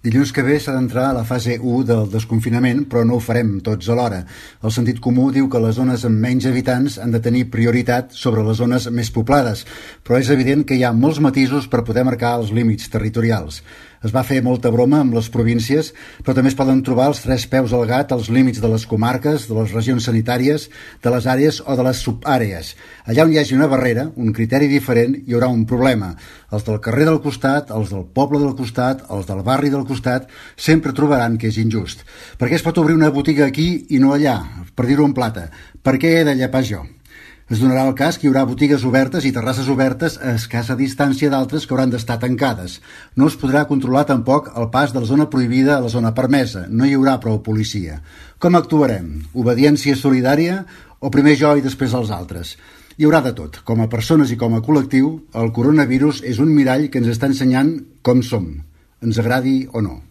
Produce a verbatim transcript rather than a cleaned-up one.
Dilluns que ve s'ha d'entrar a la fase u del desconfinament, però no ho farem tots alhora. El sentit comú diu que les zones amb menys habitants han de tenir prioritat sobre les zones més poblades, però és evident que hi ha molts matisos per poder marcar els límits territorials. Es va fer molta broma amb les províncies, però també es poden trobar els tres peus al gat als límits de les comarques, de les regions sanitàries, de les àrees o de les subàrees. Allà on hi hagi una barrera, un criteri diferent, hi haurà un problema. Els del carrer del costat, els del poble del costat, els del barri del costat, sempre trobaran que és injust. Per què es pot obrir una botiga aquí i no allà? Per dir-ho en plata. Per què he de llepar jo? Es donarà el cas que hi haurà botigues obertes i terrasses obertes a escassa distància d'altres que hauran d'estar tancades. No es podrà controlar tampoc el pas de la zona prohibida a la zona permesa. No hi haurà prou policia. Com actuarem? Obediència solidària o primer jo i després els altres? Hi haurà de tot. Com a persones i com a col·lectiu, el coronavirus és un mirall que ens està ensenyant com som, ens agradi o no.